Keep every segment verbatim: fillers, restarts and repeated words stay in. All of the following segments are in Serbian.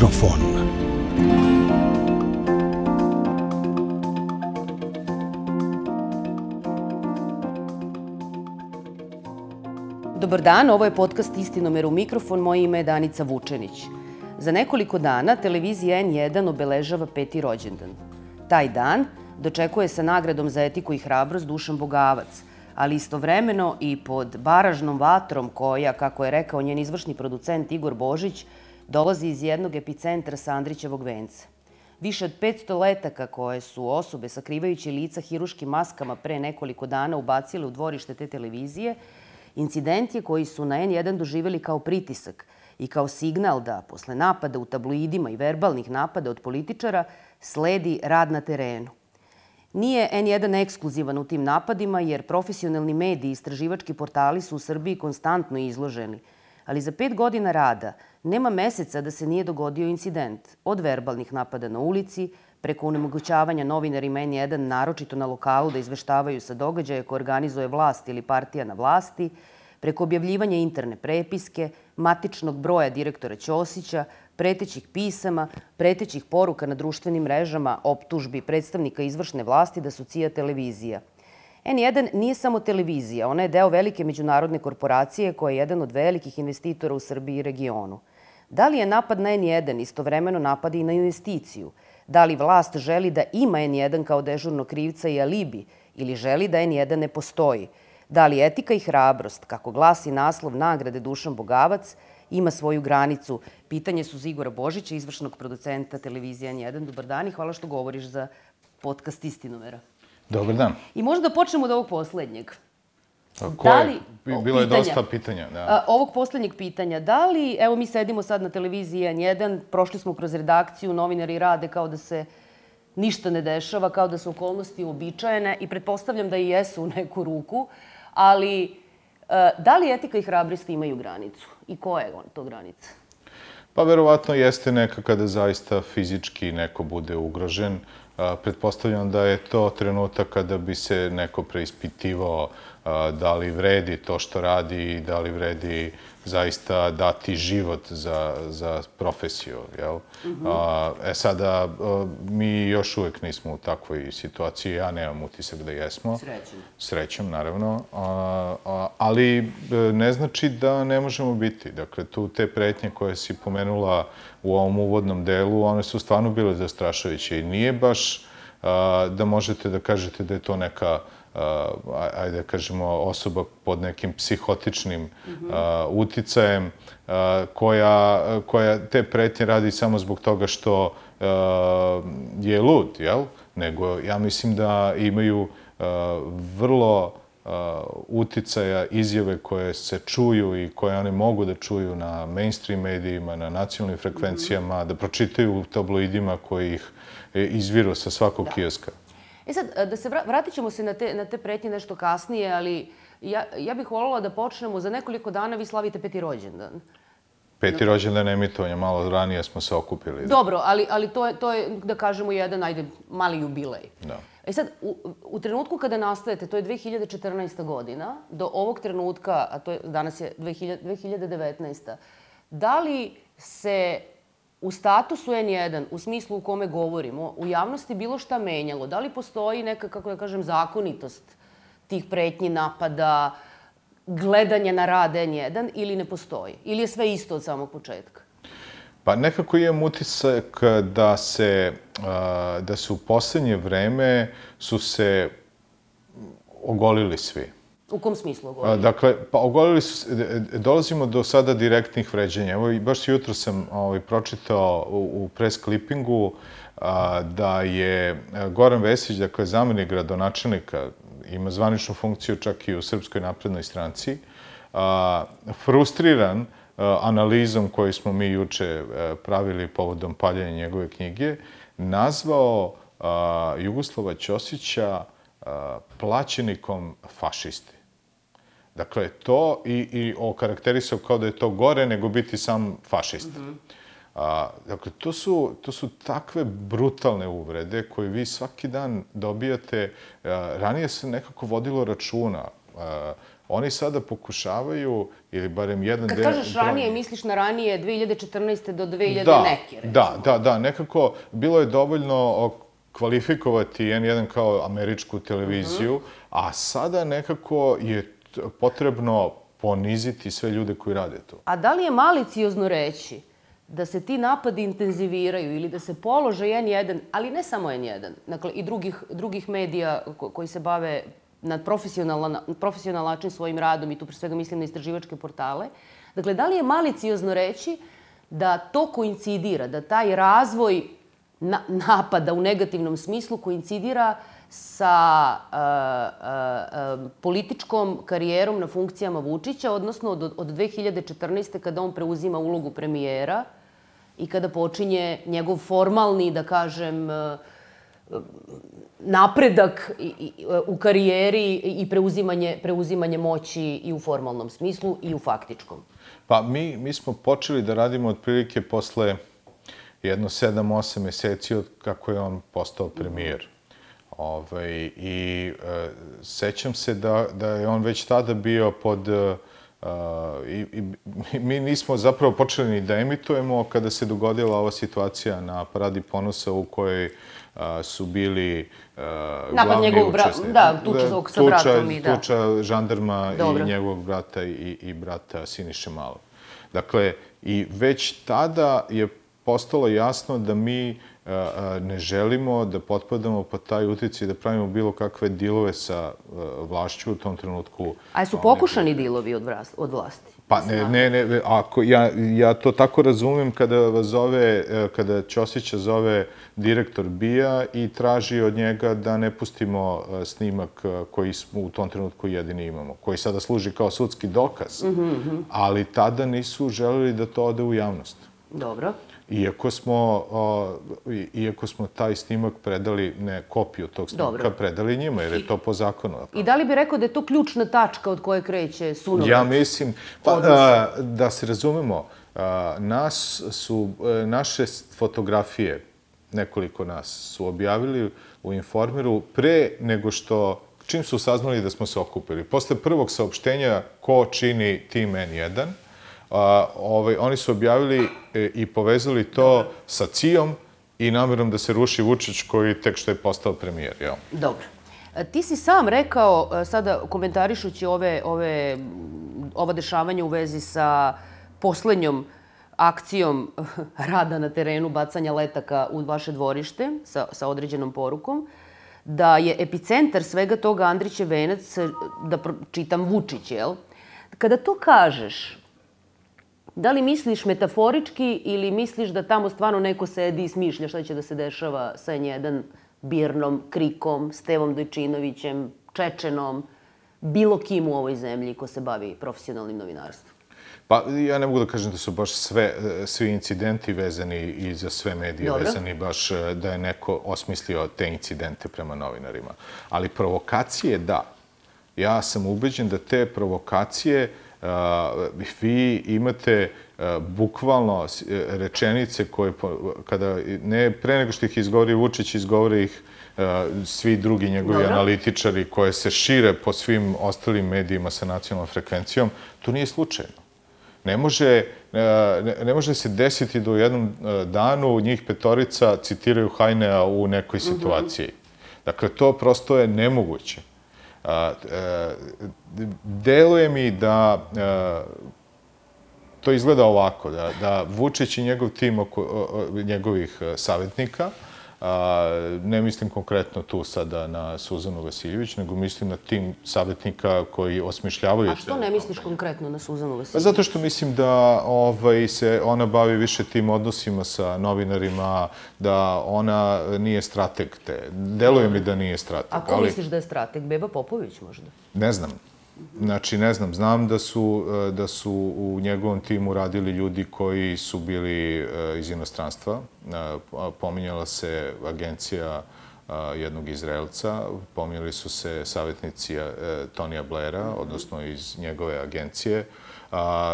mikrofon. Dobar dan, ovo je podcast Istinomer u mikrofon, moje ime je Danica Vučenić. Za nekoliko dana televizija en jedan obeležava peti rođendan. Taj dan dočekuje sa nagradom za etiku i hrabrost Dušan Bogavac, ali istovremeno i pod baražnom vatrom koja, kako je rekao njen izvršni producent Igor Božić, dolazi iz jednog epicentra sa Andrićevog venca. Više od petsto letaka koje su osobe sakrivajući lica hiruškim maskama pre nekoliko dana ubacile u dvorište te televizije, incident je koji su na en jedan doživjeli kao pritisak i kao signal da, posle napada u tabloidima i verbalnih napada od političara, sledi rad na terenu. Nije en jedan ekskluzivan u tim napadima, jer profesionalni mediji i istraživački portali su u Srbiji konstantno izloženi. Ali za pet godina rada nema meseca da se nije dogodio incident. Od verbalnih napada na ulici, preko onemogućavanja novinarima en jedan, naročito na lokalu, da izveštavaju sa događaja koje organizuje vlast ili partija na vlasti, preko objavljivanja interne prepiske, matičnog broja direktora Ćosića, pretećih pisama, pretećih poruka na društvenim mrežama, optužbi predstavnika izvršne vlasti da su C I A televizija. en jedan nije samo televizija, ona je deo velike međunarodne korporacije koja je jedan od velikih investitora u Srbiji i regionu. Da li je napad na en jedan istovremeno napad i na investiciju? Da li vlast želi da ima en jedan kao dežurnog krivca i alibi ili želi da en jedan ne postoji? Da li etika i hrabrost, kako glasi naslov nagrade Dušan Bogavac, ima svoju granicu? Pitanje su za Igora Božića, izvršnog producenta televizije en jedan. Dobar dan i hvala što govoriš za podcast Istinomera. Dobar dan. I možda da počnemo od ovog poslednjeg. Koje? Bilo je dosta pitanja. Da. Ovog poslednjeg pitanja. Da li, evo mi sedimo sad na televiziji en jedan, prošli smo kroz redakciju, novinari rade kao da se ništa ne dešava, kao da su okolnosti uobičajene i pretpostavljam da i jesu u neku ruku, ali da li etika i hrabrost imaju granicu? I koja je to granica? Pa verovatno jeste neka kada zaista fizički neko bude ugrožen. Pretpostavljam da je to trenutak kada bi se neko preispitivao da li vredi to što radi i da li vredi zaista dati život za, za profesiju. Jel? Mm-hmm. E sada, mi još uvek nismo u takvoj situaciji. Ja nemam utisak da jesmo. Srećem. Srećem, naravno. A, a, ali ne znači da ne možemo biti. Dakle, tu te pretnje koje si pomenula u ovom uvodnom delu, one su stvarno bile zastrašujuće i nije baš a, da možete da kažete da je to neka Uh, ajde da kažemo, osoba pod nekim psihotičnim uh, uticajem uh, koja, koja te pretnje radi samo zbog toga što uh, je lud, jel? Nego ja mislim da imaju uh, vrlo uh, uticaja izjave koje se čuju i koje one mogu da čuju na mainstream medijima, na nacionalnim frekvencijama, mm-hmm. da pročitaju u tabloidima koji ih izviru sa svakog kioska. E sad, da se vratit ćemo se na te, na te pretnje nešto kasnije, ali ja, ja bih voljela da počnemo. Za nekoliko dana vi slavite peti rođendan. Peti rođendan emitovanja, malo ranije smo se okupili. Dobro, ali, ali to, je, to je, da kažemo, jedan, ajde, mali jubilej. Da. E sad, u, u trenutku kada nastajete, to je dve hiljade četrnaesta godina, do ovog trenutka, a to je, danas je dve hiljade devetnaesta. Da li se u statusu en jedan, u smislu u kome govorimo, u javnosti bilo šta menjalo? Da li postoji neka, kako da kažem, zakonitost tih pretnji, napada, gledanja na rad en jedan ili ne postoji? Ili je sve isto od samog početka? Pa nekako imam utisak da se, da se u poslednje vreme su se ogolili svi. U kom smislu ogolili? Dakle, pa ogolili su, dolazimo do sada direktnih vređanja. Evo, baš jutro sam ovaj, pročitao u, u press klipingu a, da je Goran Vesić, dakle, zamenik gradonačelnika, ima zvaničnu funkciju čak i u Srpskoj naprednoj stranci, a, frustriran a, analizom koju smo mi juče a, pravili povodom paljenja njegove knjige, nazvao a, Jugoslava Ćosića a, plaćenikom fašisti. Dakle, to i, i okarakterisao kao da je to gore nego biti sam fašista. Mm-hmm. A, dakle, to su, to su takve brutalne uvrede koje vi svaki dan dobijate. A, ranije se nekako vodilo računa. A, Oni sada pokušavaju, ili barem jedan... Kad kažeš ranije, misliš na ranije dve hiljade četrnaeste do dve hiljade neke, recimo. Da, da, da. Nekako bilo je dovoljno kvalifikovati en jedan kao američku televiziju, a sada nekako je potrebno poniziti sve ljude koji rade to. A da li je maliciozno reći da se ti napadi intenziviraju ili da se položaj en jedan, ali ne samo en jedan, dakle i drugih medija koji se bave na profesionalan način svojim radom, i tu pre svega mislim na istraživačke portale, dakle, da li je maliciozno reći da to koincidira, da taj razvoj napada u negativnom smislu koincidira sa političkom karijerom na funkcijama Vučića, odnosno od dve hiljade četrnaeste. kada on preuzima ulogu premijera i kada počinje njegov formalni, da kažem, napredak u karijeri i preuzimanje moći i u formalnom smislu i u faktičkom? Pa mi smo počeli da radimo otprilike posle jedno sedam osam meseci od kako je on postao premijer. I sećam se da je on već tada bio pod... Mi nismo zapravo počeli ni da emitujemo kada se dogodila ova situacija na Paradi ponosa u kojoj su bili glavni učesnici. Da, tuča sa bratom i da. Tuča žandarma i njegovog brata i brata Siniše Malog. Dakle, i već tada je postalo jasno da mi ne želimo da potpadamo pod taj uticaj, da pravimo bilo kakve dilove sa vlašću u tom trenutku. A su pokušani dilovi od vlasti? Pa ne, ne, ako ja to tako razumem kada vas zove, kada Ćosića zove direktor B I A i traži od njega da ne pustimo snimak koji smo u tom trenutku jedini imamo, koji sada služi kao sudski dokaz, ali tada nisu želeli da to ode u javnost. Dobro. Iako smo, iako smo taj snimak predali, ne kopiju tog snimaka, predali njima, jer je to po zakonu. I da li bi rekao da je to ključna tačka od koje kreće sunovac? Ja mislim, da se razumemo, naše fotografije, nekoliko nas, su objavili u Informeru pre nego što, čim su saznali da smo se okupili. Posle prvog saopštenja ko čini tim en jedan, oni su objavili i povezali to sa C I A-om i namerom da se ruši Vučić koji tek što je postao premijer. Dobro. Ti si sam rekao, sada komentarišući ova dešavanja u vezi sa poslednjom akcijom rada na terenu, bacanja letaka u vaše dvorište sa određenom porukom, da je epicentar svega toga Andrićev venac, da čitam Vučić, jel? Kada to kažeš, da li misliš metaforički ili misliš da tamo stvarno neko sedi i smišlja šta će da se dešava sa en jedan, Birnom, Krikom, Stevom Dojčinovićem, Čečenom, bilo kim u ovoj zemlji ko se bavi profesionalnim novinarstvom? Pa ja ne mogu da kažem da su baš svi incidenti vezani i za sve medije vezani, baš da je neko osmislio te incidente prema novinarima. Ali provokacije, da. Ja sam ubeđen da te provokacije vi imate bukvalno rečenice koje, kada, ne pre nego što ih izgovori Vučić, izgovore ih svi drugi njegovi analitičari koje se šire po svim ostalim medijima sa nacionalnom frekvencijom, to nije slučajno. Ne može se desiti da u jednom danu njih petorica citiraju Hajnea u nekoj situaciji. Dakle, to prosto je nemoguće. Deluje mi da to izgleda ovako, da Vučić i njegov tim njegovih savjetnika, ne mislim konkretno tu sada na Suzanu Vasiljević, nego mislim na tim savjetnika koji osmišljavaju... A što ne misliš konkretno na Suzanu Vasiljević? Zato što mislim da se ona bavi više tim odnosima sa novinarima, da ona nije strateg te. Deluje mi da nije strateg. A ko misliš da je strateg? Beba Popović možda? Ne znam. Znači, ne znam. Znam da su u njegovom timu radili ljudi koji su bili iz inostranstva. Pominjala se agencija jednog Izraelca, pominjali su se savjetnici Tonija Blaira, odnosno iz njegove agencije.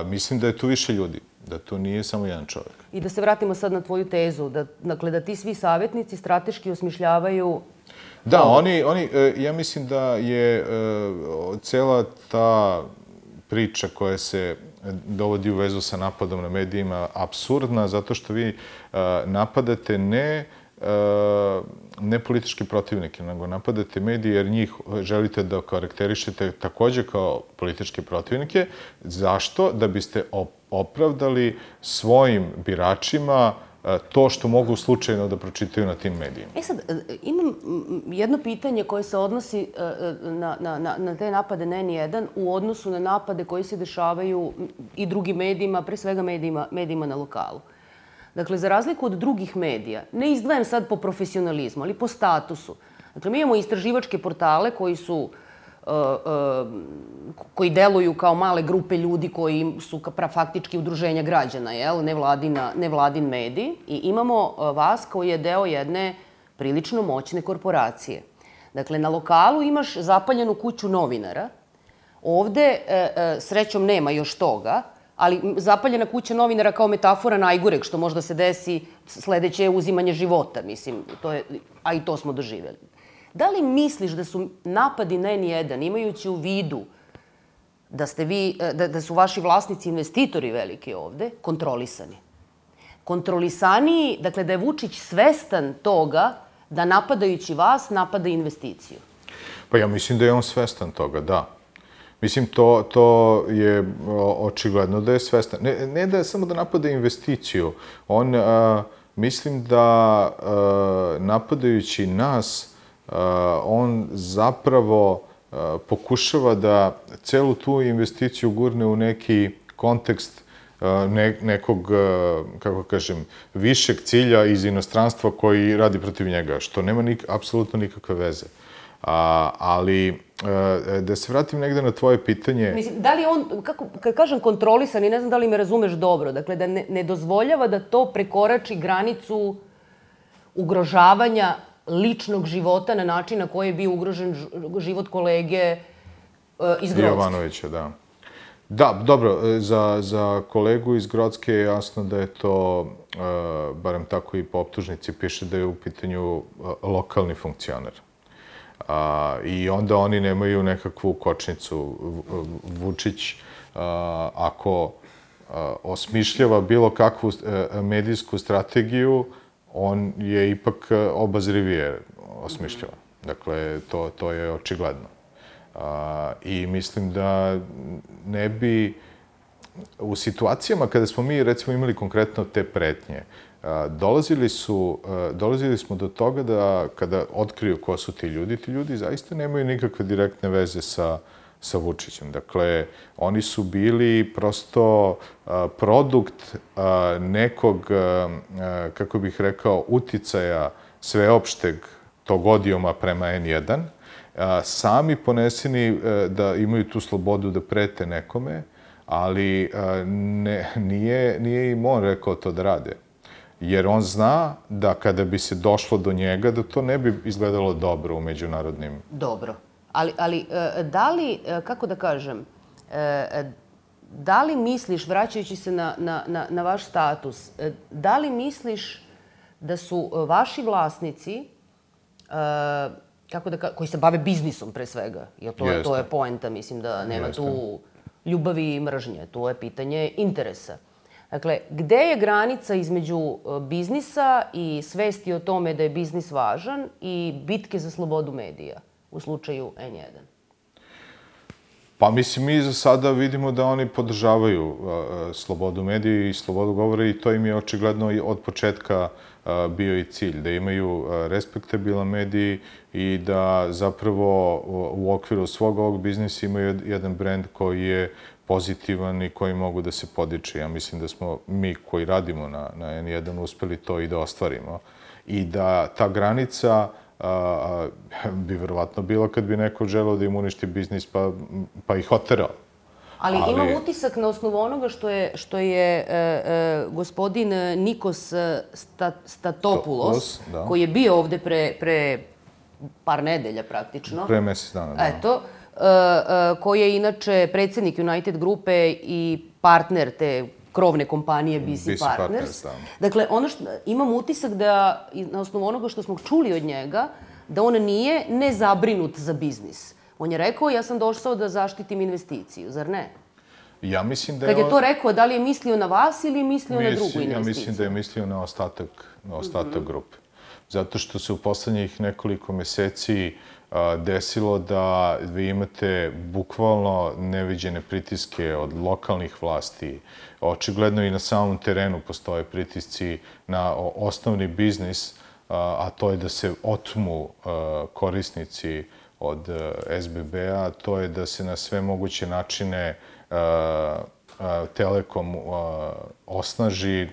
Mislim da je tu više ljudi, da to nije samo jedan čovjek. I da se vratimo sad na tvoju tezu, dakle da ti svi savjetnici strateški osmišljavaju Da, oni, oni, ja mislim da je cela ta priča koja se dovodi u vezu sa napadom na medijima apsurdna, zato što vi napadate ne ne politički protivnike, nego napadate medije jer njih želite da karakterišete takođe kao političke protivnike. Zašto? Da biste opravdali svojim biračima to što mogu slučajno da pročitaju na tim medijima. E sad, imam jedno pitanje koje se odnosi na, na, na te napade na en jedan u odnosu na napade koji se dešavaju i drugim medijima, pre svega medijima, medijima na lokalu. Dakle, za razliku od drugih medija, ne izdvajam sad po profesionalizmu, ali po statusu. Dakle, mi imamo istraživačke portale koji su koji deluju kao male grupe ljudi koji su faktički udruženja građana, jel? Nevladin medij. I imamo vas koji je deo jedne prilično moćne korporacije. Dakle, na lokalu imaš zapaljenu kuću novinara. Ovde, srećom, nema još toga, ali zapaljena kuća novinara kao metafora najgoreg što možda se desi, sledeće je uzimanje života, mislim, a i to smo doživjeli. Da li misliš da su napadi na en jedan, imajući u vidu da ste vi, da su vaši vlasnici investitori veliki ovde, kontrolisani? Kontrolisaniji, dakle da je Vučić svestan toga da napadajući vas napada investiciju? Pa ja mislim da je on svestan toga, da. Mislim, to, to je očigledno da je svestan. Ne, ne da je samo da napada investiciju. On, a, mislim da a, napadajući nas, on zapravo pokušava da celu tu investiciju gurne u neki kontekst nekog, kako kažem, višeg cilja iz inostranstva koji radi protiv njega, što nema apsolutno nikakve veze. Ali, da se vratim negde na tvoje pitanje... Mislim, da li on, kako, kad kažem kontrolisan, i ne znam da li me razumeš dobro, dakle, da ne, ne dozvoljava da to prekorači granicu ugrožavanja ličnog života na način na koji je bio ugrožen život kolege iz Grocke. Jovanovića, da. Da, dobro, za, za kolegu iz Grocke je jasno da je to, barem tako i po optužnici piše, da je u pitanju lokalni funkcioner. I onda oni nemaju nekakvu kočnicu. Vučić, ako osmišljava bilo kakvu medijsku strategiju, on je ipak obazrivije osmišljava. Dakle, to, to je očigledno. A, I mislim da ne bi... U situacijama kada smo mi, recimo, imali konkretno te pretnje, a, dolazili, su, a, dolazili smo do toga da kada otkriju ko su ti ljudi, ti ljudi zaista nemaju nikakve direktne veze sa sa Vučićem. Dakle, oni su bili prosto a, produkt a, nekog, a, kako bih rekao, uticaja sveopšteg tog odijoma prema en jedan, a, sami poneseni a, da imaju tu slobodu da prete nekome, ali a, ne, nije, nije im on rekao to da rade. Jer on zna da kada bi se došlo do njega, da to ne bi izgledalo dobro u međunarodnim... Dobro. Ali, ali da li, kako da kažem, da li misliš, vraćajući se na, na, na vaš status, da li misliš da su vaši vlasnici, kako da kažem, koji se bave biznisom pre svega, jer to, je, to je poenta, mislim da nema Jeste. Tu ljubavi i mržnje, tu je pitanje interesa. Dakle, gde je granica između biznisa i svesti o tome da je biznis važan i bitke za slobodu medija u slučaju en jedan? Pa mislim, mi za sada vidimo da oni podržavaju slobodu medija i slobodu govora i to im je očigledno od početka bio i cilj, da imaju respektabilan medij i da zapravo u okviru svog ovog biznisa imaju jedan brend koji je pozitivan i koji mogu da se podiče. Ja mislim da smo mi koji radimo na, na en jedan uspeli to i da ostvarimo. I da ta granica a, bi verovatno bila kad bi neko želeo da im uništi biznis pa, pa ih oterao. Ali, Ali imam utisak na osnovu onoga što je, što je e, e, gospodin Nikos Sta, Statopoulos, da. koji je bio ovde pre, pre par nedelja praktično. Pre mesec dana, da. Eto, koji je inače predsjednik United grupe i partner te krovne kompanije B C Partners. Dakle, ono što, imam utisak da, na osnovu onoga što smo čuli od njega, da on nije nezabrinut za biznis. On je rekao, ja sam došao da zaštitim investiciju, zar ne? Ja mislim da je... Kad je to rekao, da li je mislio na vas ili je mislio na drugu investiciju? Ja mislim da je mislio na ostatak, na ostatak grupe. Zato što se u poslednjih nekoliko meseci desilo da vi imate bukvalno neviđene pritiske od lokalnih vlasti. Očigledno i na samom terenu postoje pritisci na osnovni biznis, a to je da se otmu korisnici od es be be-a, to je da se na sve moguće načine Telekom osnaži.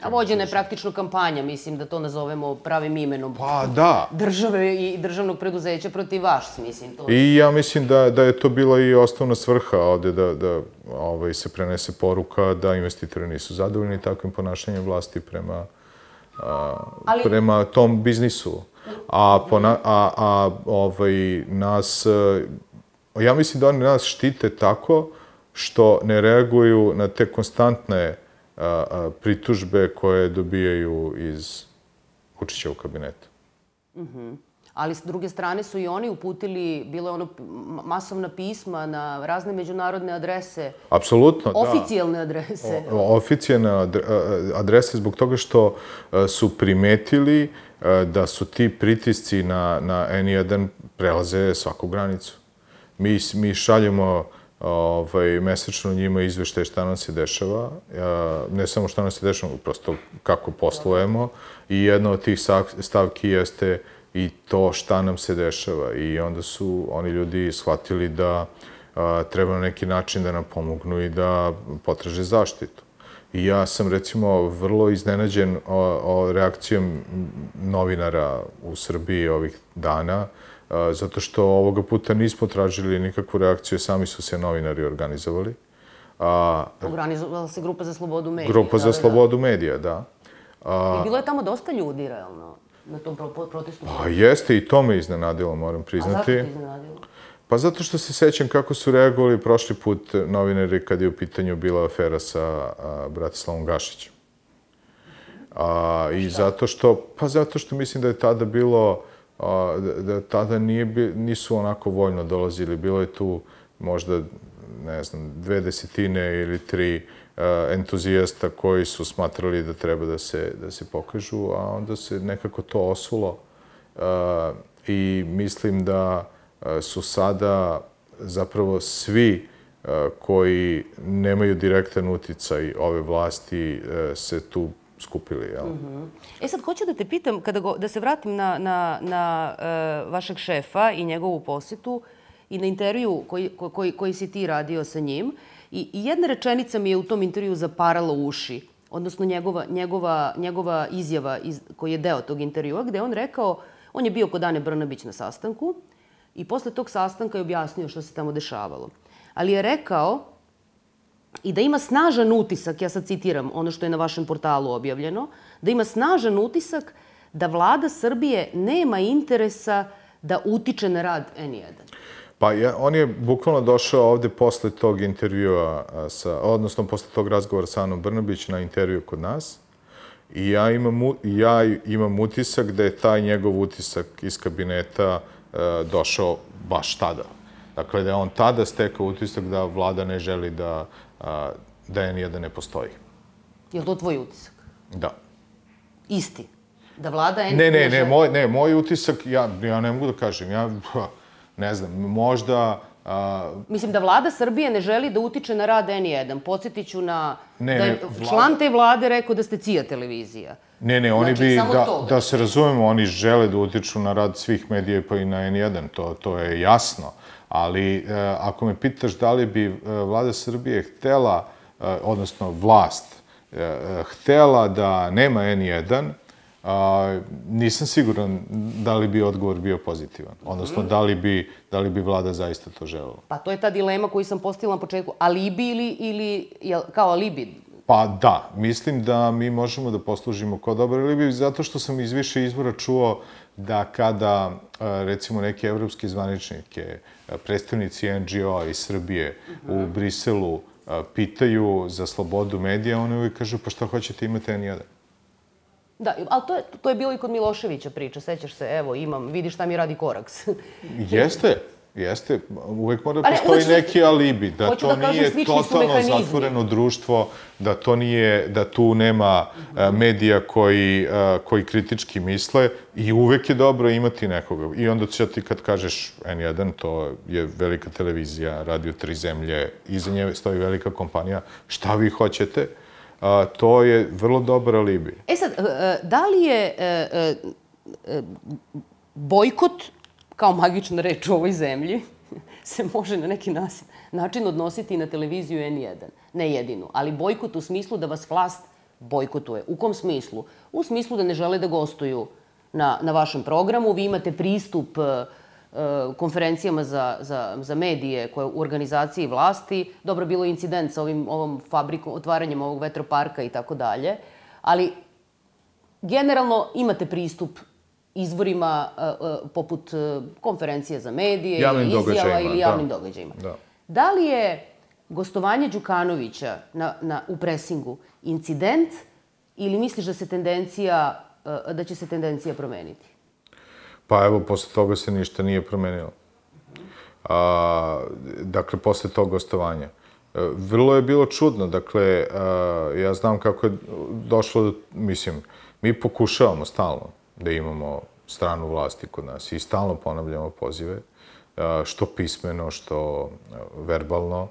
A vođena je praktično kampanja, mislim da to nazovemo pravim imenom. Pa da. Države i državnog preduzeća protiv vaš, mislim. To. I ja mislim da, da je to bila i osnovna svrha ovde, da, da ovaj, se prenese poruka da investitori nisu zadovoljni takvim ponašanjem vlasti prema, a, Ali... prema tom biznisu. A, pona, a, a ovaj, nas, ja mislim da oni nas štite tako što ne reaguju na te konstantne a, a, pritužbe koje dobijaju iz Vučićevog kabineta. Mhm. Ali s druge strane su i oni uputili, bilo je ono masovna pisma na razne međunarodne adrese. Apsolutno, da. Oficijalne adrese. O, oficijalne adrese zbog toga što su primetili da su ti pritisci na, na en jedan prelaze svaku granicu. Mi, mi šaljemo ovaj, mesečno njima izveštaje šta nam se dešava, ne samo šta nam se dešava, prosto kako poslujemo. I jedna od tih stavki jeste i to šta nam se dešava. I onda su oni ljudi shvatili da a, treba na neki način da nam pomognu i da potraže zaštitu. I ja sam, recimo, vrlo iznenađen o, o reakcijom novinara u Srbiji ovih dana, a, zato što ovoga puta nismo tražili nikakvu reakciju, sami su se novinari organizovali. A, Organizovala se Grupa za slobodu medija. Grupa za slobodu medija, da. A, I bilo je tamo dosta ljudi, realno, na tom protestu. Pa jeste, i to me iznenadilo, moram priznati. A zašto te iznenadilo? Pa zato što se sećam kako su reagovali prošli put novinari kad je u pitanju bila afera sa a, Bratislavom Gašićem. A, I zato što, pa zato što mislim da je tada bilo, a, da, da tada nije, nisu onako voljno dolazili. Bilo je tu možda, ne znam, dve desetine ili tri a, entuzijasta koji su smatrali da treba da se, da se pokažu, a onda se nekako to osulo. A, I mislim da su sada zapravo svi koji nemaju direktan uticaj ove vlasti se tu skupili. Jel? Mm-hmm. E sad, hoću da te pitam, kada go, da se vratim na, na, na uh, vašeg šefa i njegovu posjetu i na intervju koji, koji, koji si ti radio sa njim. I, i jedna rečenica mi je u tom intervju zaparala uši, odnosno njegova, njegova, njegova izjava iz, koji je deo tog intervjua, gde on rekao, on je bio kod Ane Brnabić na sastanku, i posle tog sastanka je objasnio što se tamo dešavalo. Ali je rekao i da ima snažan utisak, ja sad citiram ono što je na vašem portalu objavljeno, da ima snažan utisak da vlada Srbije nema interesa da utiče na rad en jedan. Pa ja, on je bukvalno došao ovde posle tog intervjua, sa, odnosno posle tog razgovora sa Anom Brnabić na intervju kod nas. I ja imam, ja imam utisak da je taj njegov utisak iz kabineta došao baš tada. Dakle, da je on tada stekao utisak da vlada ne želi da, da en jedan ne postoji. Je li to tvoj utisak? Da. Isti? Da vlada en ne, ne, ne, moj, ne, moj utisak, ja, ja ne mogu da kažem, ja ne znam, možda... A... Mislim da vlada Srbije ne želi da utiče na rad en jedan. Podsjetit ću na... Ne, da je ne, vlada... član te vlade rekao da ste C I A televizija. Ne, ne, oni znači, bi, da, da se razumemo, oni žele da utiču na rad svih medija pa i na en jedan, to, to je jasno. Ali e, ako me pitaš da li bi vlada Srbije htela, e, odnosno vlast, e, htela da nema en jedan, a, nisam siguran da li bi odgovor bio pozitivan. Odnosno, da li bi, da li bi vlada zaista to želela. Pa to je ta dilema koju sam postavila na početku. Alibi ili, ili kao alibi? Pa da, mislim da mi možemo da poslužimo kao dobar alibi, zato što sam iz više izvora čuo da kada, recimo, neki evropski zvaničnike, predstavnici en dži o-a iz Srbije u Briselu pitaju za slobodu medija, oni uvijek kažu, pa šta hoćete imati en jedan? Da, ali to je, to je bilo i kod Miloševića priča, sećaš se, evo, imam, vidi šta mi radi Koraks. Jeste, jeste. Uvek mora da postoji neki alibi, da to nije totalno zatvoreno društvo, da to nije, da tu nema medija koji, koji kritički misle i uvek je dobro imati nekoga. I onda će ti kad kažeš en jedan, to je velika televizija, Radio Tri zemlje, iza nje stoji velika kompanija, šta vi hoćete? A, to je vrlo dobar alibi. E sad, da li je bojkot, kao magična reč u ovoj zemlji, se može na neki način odnositi i na televiziju en jedan? Ne jedinu, ali bojkot u smislu da vas vlast bojkotuje. U kom smislu? U smislu da ne žele da gostuju na, na vašem programu, vi imate pristup konferencijama za, za, za medije koje u organizaciji vlasti. Dobro, bilo je incident sa ovim, ovom fabrikom, otvaranjem ovog vetroparka i tako dalje, ali generalno imate pristup izvorima poput konferencije za medije, ili izjava ili javnim događajima. Da. Da li je gostovanje Đukanovića na, na, u presingu incident ili misliš da se tendencija, da će se tendencija promeniti? Pa evo, posle toga se ništa nije promenilo. A, dakle, posle tog gostovanja. Vrlo je bilo čudno, dakle, a, ja znam kako je došlo do, mislim, mi pokušavamo stalno da imamo stranu vlasti kod nas i stalno ponavljamo pozive, a, što pismeno, što verbalno.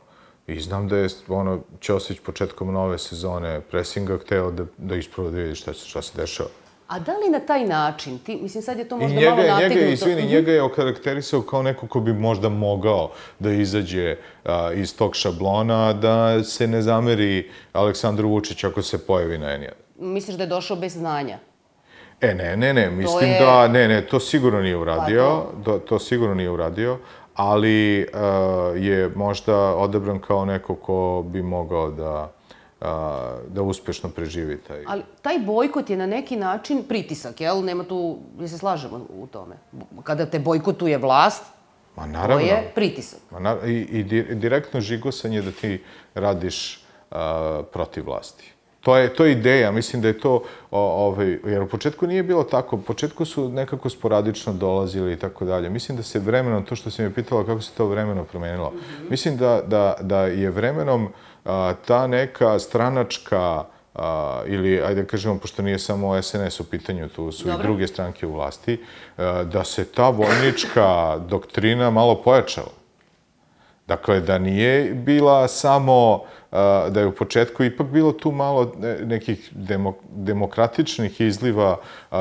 I znam da je, ono, Ćosić početkom nove sezone presinga hteo da, da ispravo da vidi šta, šta se dešava. A da li na taj način, ti, mislim, sad je to možda malo nategnuto... Njega, izvini, njega je okarakterisao kao neko ko bi možda mogao da izađe a, iz tog šablona, da se ne zameri Aleksandru Vučiću ako se pojavi na en jedan. Misliš da je došao bez znanja? E, ne, ne, ne, mislim je... da, ne, ne, to sigurno nije uradio, pa to... to sigurno nije uradio, ali a, je možda odabran kao neko ko bi mogao da... da uspešno preživi taj... Ali taj bojkot je na neki način pritisak, jel? Nema tu, je se slažemo u tome. Kada te bojkotuje vlast, Ma, naravno. To je pritisak. Ma, naravno, i, i direktno žigosanje da ti radiš a, protiv vlasti. To je, to je ideja, mislim da je to, o, ovaj, jer u početku nije bilo tako, u početku su nekako sporadično dolazili i tako dalje. Mislim da se vremenom, to što si me pitala kako se to vremenom promenilo, mm-hmm. mislim da, da, da je vremenom a, ta neka stranačka, a, ili, ajde kažemo, pošto nije samo es en es u pitanju, tu su Dobre. i druge stranke u vlasti, a, da se ta vojnička doktrina malo pojačala. Dakle, da nije bila samo, da je u početku ipak bilo tu malo nekih demokratičnih izliva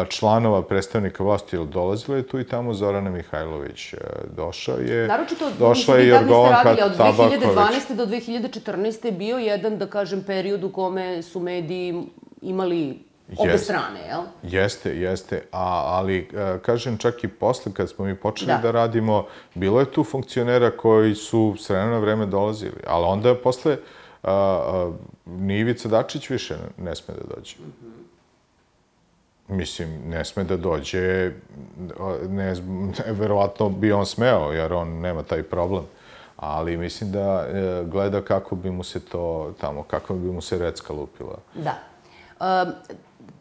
članova predstavnika vlasti, jer dolazila je tu i tamo Zorana Mihajlović. Došla je, Naročito, došla je Jorgovanka Tabaković. Od dve hiljade dvanaeste do dve hiljade četrnaeste je bio jedan, da kažem, period u kome su mediji imali obe strane, jel? Jeste, jeste. A, ali, kažem, čak i posle, kad smo mi počeli da. da radimo, bilo je tu funkcionera koji su s vremena na vreme dolazili. Ali onda posle a, a, ni Ivica Dačić više ne sme da dođe. Mm-hmm. Mislim, ne sme da dođe, ne, verovatno bi on smeo, jer on nema taj problem. Ali mislim da e, gleda kako bi mu se to tamo, kako bi mu se recka lupila. Da. Um,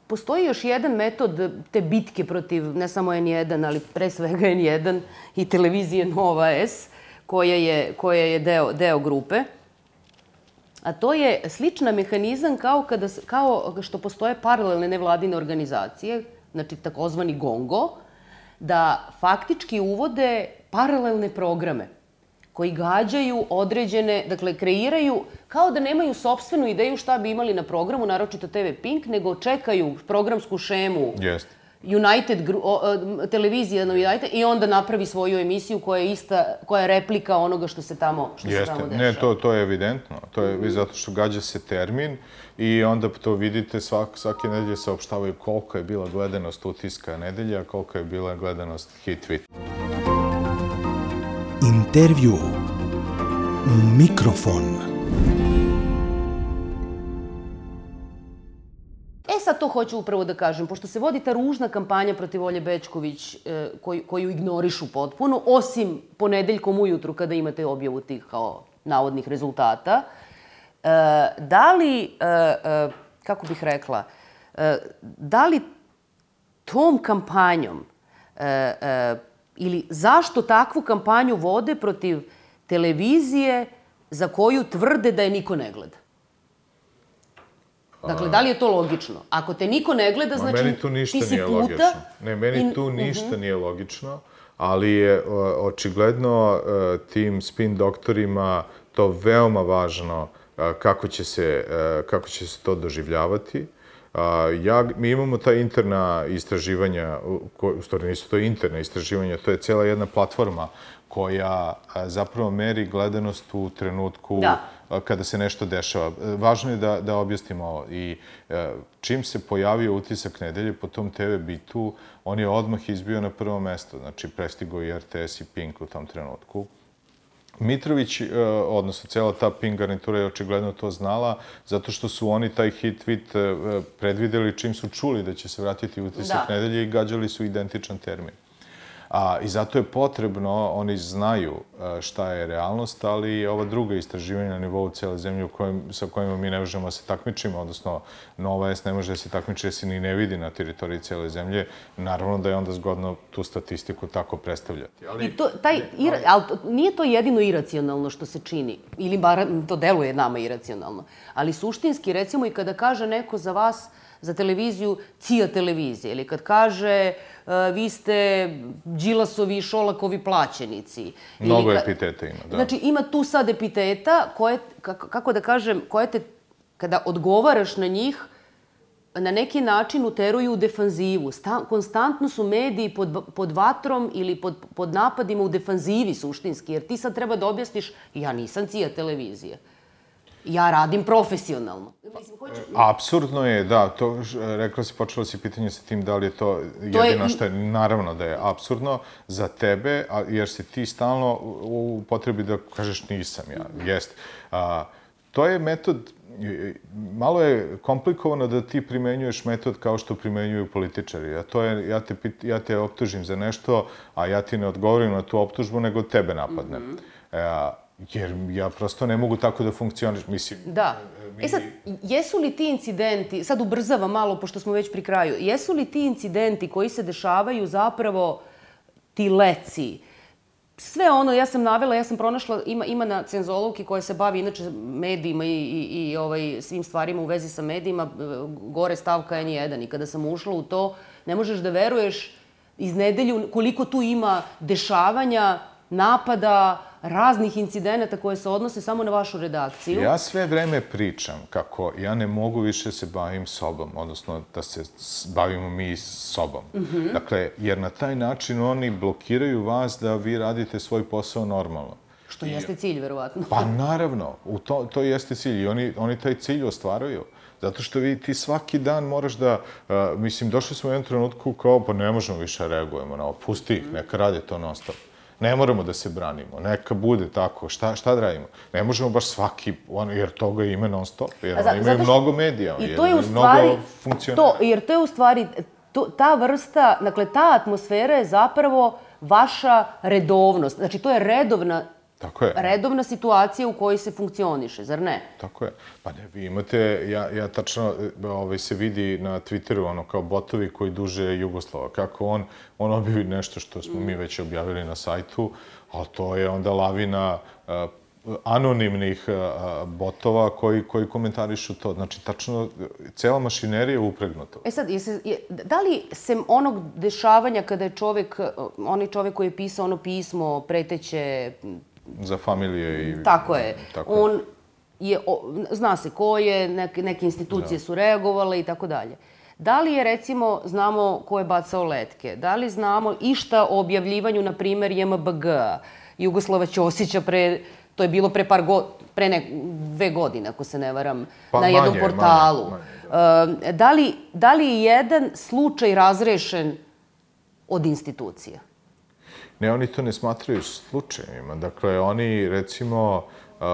Postoji još jedan metod te bitke protiv ne samo en jedan, ali pre svega en jedan i televizije Nova S, koja je, koja je deo, deo grupe. A to je slična mehanizam kao, kada, kao što postoje paralelne nevladine organizacije, znači takozvani GONGO, da faktički uvode paralelne programe koji gađaju određene, dakle, kreiraju, kao da nemaju sopstvenu ideju šta bi imali na programu, naročito te ve Pink, nego čekaju programsku šemu Jest. United, o, televizija na United i onda napravi svoju emisiju koja je ista, koja je replika onoga što se tamo, što Jeste. se tamo dešava. Ne, to, to je evidentno. To je mm-hmm. zato što gađa se termin i onda to vidite, svak, svake nedelje saopštavaju koliko je bila gledanost utiska nedelja, koliko je bila gledanost hit tweet. Intervju u mikrofon. E sad to hoću upravo da kažem, pošto se vodi ta ružna kampanja protiv Olje Bećković e, koju, koju ignorišu potpuno, osim ponedeljkom ujutru kada imate objavu tih kao navodnih rezultata, e, da li, e, e, kako bih rekla, e, da li tom kampanjom e, e, ili zašto takvu kampanju vode protiv televizije za koju tvrde da je niko ne gleda? Dakle, da li je to logično? Ako te niko ne gleda, znači meni tu ništa ti si nije puta... logično. Ne, meni tu ništa nije logično, ali je očigledno tim spin doktorima to veoma važno kako će se, kako će se to doživljavati. Ja, mi imamo ta interna istraživanja, u stvari nisu to interna istraživanja, to je cijela jedna platforma koja zapravo meri gledanost u trenutku kada se nešto dešava. Važno je da, da objasnimo ovo. I čim se pojavio Utisak nedelje po tom te ve bitu, on je odmah izbio na prvo mesto. Znači, prestigao i er te es i Pink u tom trenutku. Mitrović, odnosno cijela ta Pink garnitura je očigledno to znala, zato što su oni taj hit tweet predvideli čim su čuli da će se vratiti Utisak nedelje i gađali su identičan termin. A, I zato je potrebno, oni znaju šta je realnost, ali ova druga istraživanja na nivou cijele zemlje u kojem, sa kojima mi ne možemo da se takmičimo, odnosno Nova S ne može da se takmiči jer se ni ne vidi na teritoriji cijele zemlje, naravno da je onda zgodno tu statistiku tako predstavljati. Ali, I to, taj, ira, ali nije to jedino iracionalno što se čini, ili bar to deluje nama iracionalno, ali suštinski, recimo i kada kaže neko za vas, za televiziju, cija televizije, ili kad kaže uh, vi ste Đilasovi i Šolakovi plaćenici. Mnogo epiteta ima, da. Znači, ima tu sad epiteta koje, kako, kako da kažem, koje te, kada odgovaraš na njih, na neki način uteruju u defanzivu. Sta, konstantno su mediji pod, pod vatrom ili pod, pod napadima u defanzivi suštinski, jer ti sad treba da objasniš, ja nisam cija televizije. Ja radim profesionalno. Apsurdno je, da, to, rekla si, počela si pitanje sa tim da li je to jedino što je, naravno da je apsurdno za tebe, jer si ti stalno u potrebi da kažeš nisam ja, jest. A, to je metod, malo je komplikovano da ti primenjuješ metod kao što primenjuju političari. A to je, ja te, ja te optužim za nešto, a ja ti ne odgovorim na tu optužbu, nego tebe napadnem. Mm-hmm. e, Jer ja prosto ne mogu tako da funkcioniš, mislim... Da. E sad, jesu li ti incidenti, sad ubrzavam malo, pošto smo već pri kraju, jesu li ti incidenti koji se dešavaju zapravo ti leci? Sve ono, ja sam navela, ja sam pronašla, ima, ima na Cenzolovki koja se bavi inače medijima i, i, i ovaj, svim stvarima u vezi sa medijima, gore stavka en jedan. I kada sam ušla u to, ne možeš da veruješ iz nedelju koliko tu ima dešavanja, napada, raznih incidenata koje se odnose samo na vašu redakciju. Ja sve vreme pričam kako ja ne mogu više se bavim sobom, odnosno da se bavimo mi sobom. Mm-hmm. Dakle, jer na taj način oni blokiraju vas da vi radite svoj posao normalno. Što I, jeste cilj, verovatno. Pa naravno, u to, to jeste cilj i oni, oni taj cilj ostvaruju. Zato što vi, ti svaki dan moraš da, uh, mislim, došli smo u jednom trenutku kao, pa ne možemo više reagujemo na ovo, pusti ih, neka rade to non stop. Ne moramo da se branimo, neka bude tako, šta, šta da radimo? Ne možemo baš svaki, on, jer toga ima non stop, jer oni imaju mnogo medija, i to je u stvari, mnogo funkcionera. Jer to je u stvari, to, ta vrsta, dakle, ta atmosfera je zapravo vaša redovnost. Znači, to je redovna, Tako je. redovna situacija u kojoj se funkcioniše, zar ne? Tako je. Pa ne, vi imate, ja, ja tačno, ovaj, se vidi na Twitteru, ono, kao botovi koji duže Jugoslava, kako on, on objavi nešto što smo mm. mi već objavili na sajtu, ali to je onda lavina uh, anonimnih uh, botova koji, koji komentarišu to. Znači, tačno, cela mašinerija je upregnuta. E sad, jesi, je, da li sem onog dešavanja kada je čovek, onaj čovek koji je pisao ono pismo preteće za familije i... Tako je. Tako je. On je, o, zna se ko je, neke, neke institucije da. su reagovale i tako dalje. Da li je, recimo, znamo ko je bacao letke? Da li znamo išta o objavljivanju, na primer, je em be ge-a, Jugoslava Ćosića, pre, to je bilo pre par go, pre ne, dve godine, ako se ne varam, pa, na jednom manje, portalu. Manje, manje, da. Da li, da li je jedan slučaj razrešen od institucija? Ne, oni to ne smatraju slučajima. Dakle, oni, recimo, uh,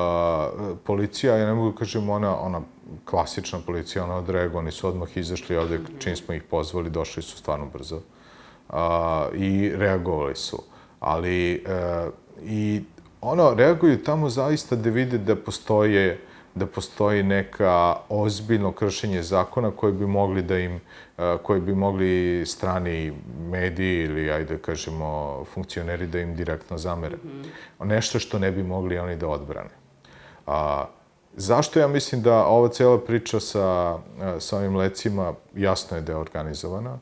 policija, ja ne mogu kažem ona, ona klasična policija, ona odreaguje, oni su odmah izašli ovde, čim smo ih pozvali, došli su stvarno brzo uh, i reagovali su. Ali, uh, i ono, reaguju tamo zaista da vide da postoje da postoji neka ozbiljno kršenje zakona koje bi mogli da im, koji bi mogli strani mediji ili, ajde kažemo, funkcioneri da im direktno zamere. Nešto što ne bi mogli oni da odbrane. A, zašto ja mislim da ova cijela priča sa, sa ovim lecima jasno je da je organizovana?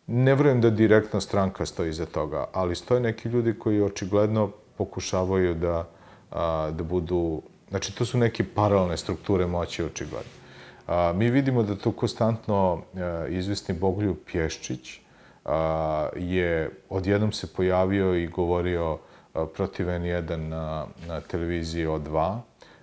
Ne vjerujem da direktna stranka stoji iza toga, ali stoje neki ljudi koji očigledno pokušavaju da, a, da budu... Znači, to su neke paralelne strukture moći, očigledno. A, mi vidimo da tu konstantno a, izvesni Bogoljub Pješčić a, je odjednom se pojavio i govorio a, protiv en jedan na, na televiziji O dva.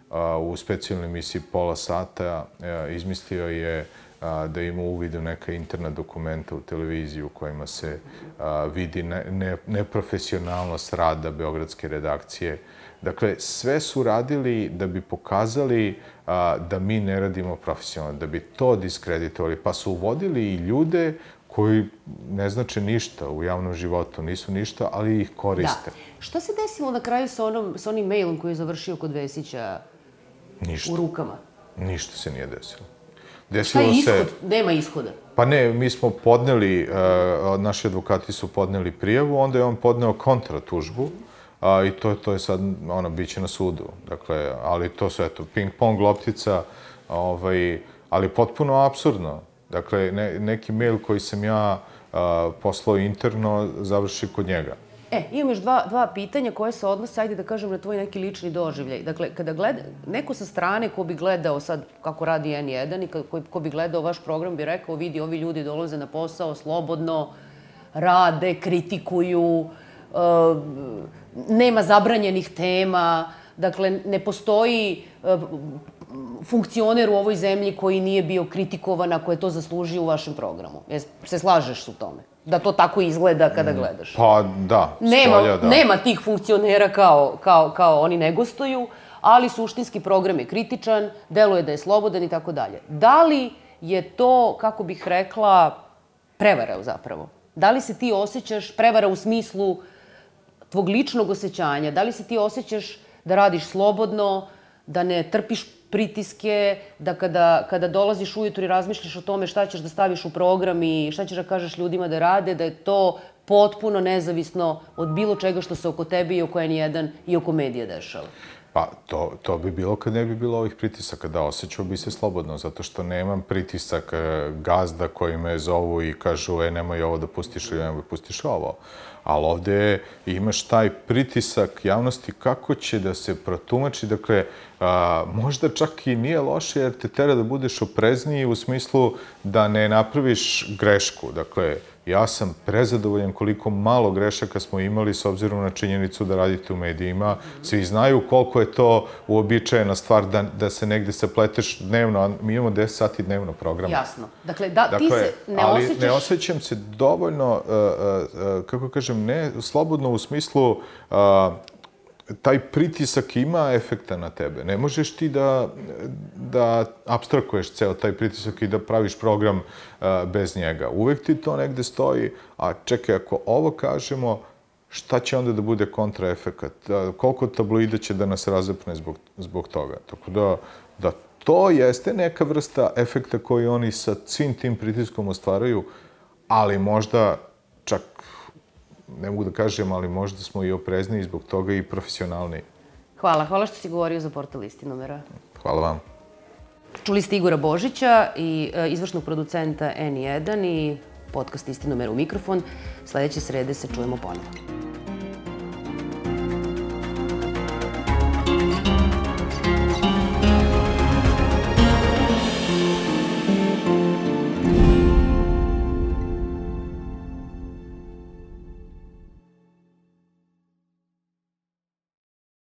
A, u specijalnoj emisiji pola sata a, izmislio je a, da ima uvid u neka interna dokumenta u televiziji u kojima se a, vidi ne, ne, neprofesionalnost rada beogradske redakcije. Dakle, sve su radili da bi pokazali a, da mi ne radimo profesionalno, da bi to diskreditovali, pa su uvodili i ljude koji ne znače ništa u javnom životu, nisu ništa, ali ih koriste. Da. Šta se desilo na kraju sa, onom, sa onim mailom koji je završio kod Vesića ništa. U rukama? Ništa se nije desilo. Desilo Šta je ishod? Se... Nema ishoda. Pa ne, mi smo podneli, uh, naši advokati su podneli prijavu, onda je on podneo kontratužbu, a, i to, to je sad, ono, bit će na sudu. Dakle, ali to su, eto, ping-pong loptica, ovaj, ali potpuno apsurdno. Dakle, ne, neki mail koji sam ja a, poslao interno završi kod njega. E, imam još dva, dva pitanja koje se odnose, ajde da kažem, na tvoj neki lični doživljaj. Dakle, kada gleda, neko sa strane ko bi gledao sad kako radi en jedan i ko, ko bi gledao vaš program bi rekao, vidi, ovi ljudi dolaze na posao slobodno, rade, kritikuju, uh, nema zabranjenih tema, dakle, ne postoji uh, funkcioner u ovoj zemlji koji nije bio kritikovan ako je to zaslužio u vašem programu. Jes, se slažeš u tome? Da to tako izgleda kada gledaš? Pa da, nema, stolja, da. Nema tih funkcionera kao, kao, kao oni ne gostuju, ali suštinski program je kritičan, deluje da je slobodan i tako dalje. Da li je to, kako bih rekla, prevara zapravo? Da li se ti osjećaš prevara u smislu tvog ličnog osjećanja? Da li se ti osjećaš da radiš slobodno, da ne trpiš pritiske, da kada, kada dolaziš ujutro i razmišljaš o tome šta ćeš da staviš u program i šta ćeš da kažeš ljudima da rade, da je to potpuno nezavisno od bilo čega što se oko tebe i oko en jedan i oko medija dešava? Pa, to, to bi bilo kad ne bi bilo ovih pritisaka, da osjećao bi se slobodno, zato što nemam pritisak gazda koji me zovu i kažu, e, nemoj ovo da pustiš ili nemoj da pustiš ovo. Ali ovde imaš taj pritisak javnosti kako će da se protumači, dakle, a, možda čak i nije loše jer te tera da budeš oprezniji u smislu da ne napraviš grešku. Dakle, ja sam prezadovoljan koliko malo grešaka smo imali s obzirom na činjenicu da radite u medijima. Svi znaju koliko je to uobičajena stvar da, da se negde sapleteš dnevno, a mi imamo deset sati dnevno programa. Jasno. Dakle, da, dakle, ti se ne ali osjećaš... ne osjećam se dovoljno, uh, uh, kako kažem, ne slobodno u smislu uh, taj pritisak ima efekta na tebe. Ne možeš ti da, da abstrakuješ ceo taj pritisak i da praviš program uh, bez njega. Uvek ti to negde stoji, a čekaj, ako ovo kažemo, šta će onda da bude kontraefekat? Uh, koliko tabloida će da nas razapne zbog, zbog toga? Tako da, da to jeste neka vrsta efekta koji oni sa svim tim pritiskom ostvaraju, ali možda čak ne mogu da kažem, ali možda smo i oprezniji zbog toga i profesionalniji. Hvala. Hvala što si govorio za portal Istinomera. Hvala vam. Čuli ste Igora Božića i e, izvršnog producenta en jedan i podcast Istinomer u mikrofon. Sljedeće srede se čujemo ponovo.